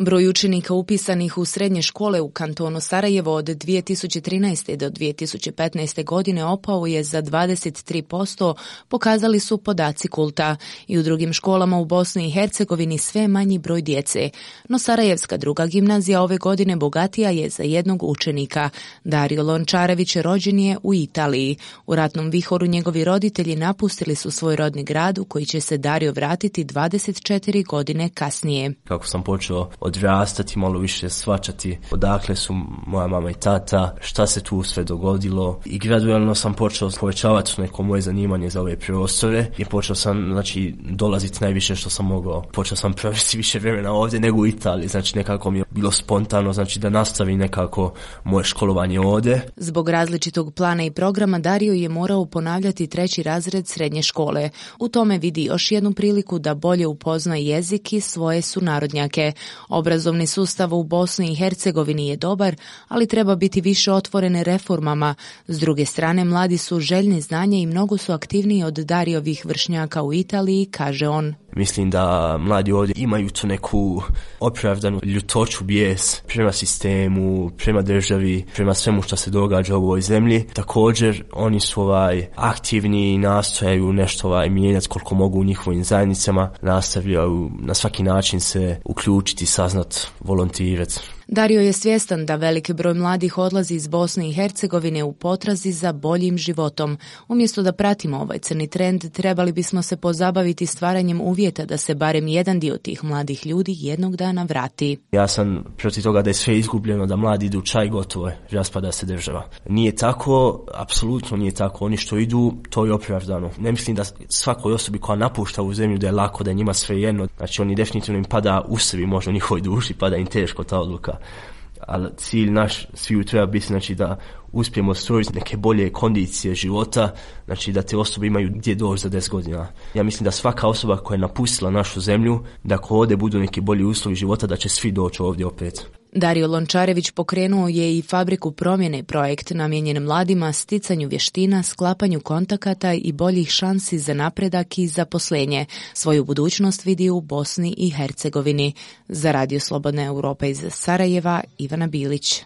Broj učenika upisanih u srednje škole u kantonu Sarajevo od 2013. do 2015. godine opao je za 23%, pokazali su podaci Kulta. I u drugim školama u Bosni i Hercegovini sve manji broj djece. No Sarajevska druga gimnazija ove godine bogatija je za jednog učenika. Dario Lončarević rođen je u Italiji. U ratnom vihoru njegovi roditelji napustili su svoj rodni grad u koji će se Dario vratiti 24 godine kasnije. Kako sam počeo odrastati, malo više shvaćati odakle su moja mama i tata, šta se tu sve dogodilo i gradualno sam počeo povećavati neko moje zanimanje za ove prostore i počeo sam dolaziti najviše što sam mogao. Počeo sam provesti više vremena ovdje nego u Italiji, nekako mi je bilo spontano da nastavim nekako moje školovanje ovdje. Zbog različitog plana i programa Dario je morao ponavljati 3. razred srednje škole. U tome vidi još jednu priliku da bolje upozna jezik i svoje sunarodnjake. Obrazovni sustav u Bosni i Hercegovini je dobar, ali treba biti više otvorene reformama. S druge strane, mladi su željni znanja i mnogo su aktivniji od Dariovih vršnjaka u Italiji, kaže on. Mislim da mladi ovdje imaju tu neku opravdanu ljutoću, bijes prema sistemu, prema državi, prema svemu što se događa u ovoj zemlji. Također, oni su aktivni i nastojaju nešto mijenjati koliko mogu u njihovim zajednicama, nastavljaju na svaki način se uključiti, saznat, volontirati. Dario je svjestan da veliki broj mladih odlazi iz Bosne i Hercegovine u potrazi za boljim životom. Umjesto da pratimo ovaj crni trend, trebali bismo se pozabaviti stvaranjem uvjeta da se barem jedan dio tih mladih ljudi jednog dana vrati. Ja sam protiv toga da je sve izgubljeno, da mladi idu čaj, gotovo je, raspada se država. Nije tako, apsolutno nije tako. Oni što idu, to je opravdano. Ne mislim da svakoj osobi koja napušta u zemlju da je lako, da je njima sve jedno. Oni definitivno im pada u sebi, možda u njihovoj duši, pada im teško ta odluka. Ali cilj naš sviju treba biti da uspijemo stvoriti neke bolje kondicije života, da te osobe imaju gdje doći za 10 godina. Ja mislim da svaka osoba koja je napustila našu zemlju, da ako ovdje budu neki bolji uslovi života, da će svi doći ovdje opet. Dario Lončarević pokrenuo je i fabriku promjene, projekt namijenjen mladima, sticanju vještina, sklapanju kontakata i boljih šansi za napredak i zaposlenje. Svoju budućnost vidi u Bosni i Hercegovini. Za Radio Slobodna Europa iz Sarajeva, Ivana Bilić.